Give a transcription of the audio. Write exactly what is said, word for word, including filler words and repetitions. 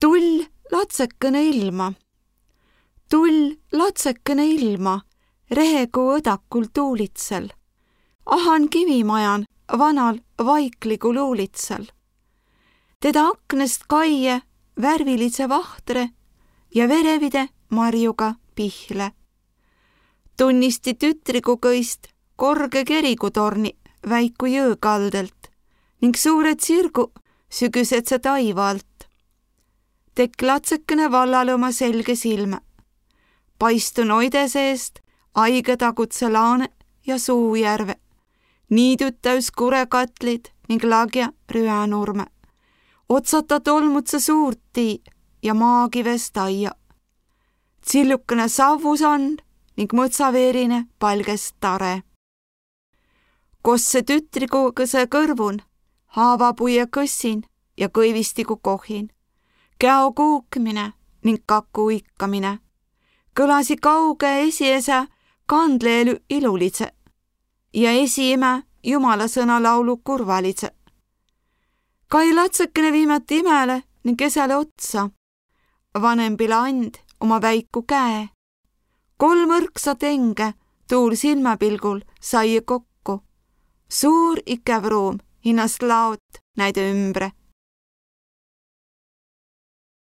Tull latsekene ilma. Tull latsekene ilma, rehekuu õdakul tuulitsel. Ahan kivimajan vanal vaikligu luulitsel. Teda aknest kaie värvilise vahtre ja verevide marjuga pihle. Tunnisti tütrigu kõist korge kerigutorni väiku jõõkaldelt ning suured sirgu sügisetse taiva alt. Tekk latsekene vallal oma selge silme. Paistun oide seest aige tagutse laane ja suujärve. Niidud täys kurekatlid ning lagja rüänurme. Otsata tolmutse suurt tii ja maagivest aia. Tsillukene savvusand ning mõtsaveerine palgest tare. Kosse tütrigu kõse kõrvun, haavapuie kõssin ja kõivistigu kohin. Käo kuukmine ning kaku ikkamine. Kõlasi kauge esiese kandleelu ilulitse ja esiime jumala sõnalaulu kurvalitse. Kai latsekene viimati imele ning kesele otsa. Vanempile and oma väiku käe. Kolm õrksat enge tuul silmapilgul sai kokku. Suur ikev ruum hinnast laot näide ümbre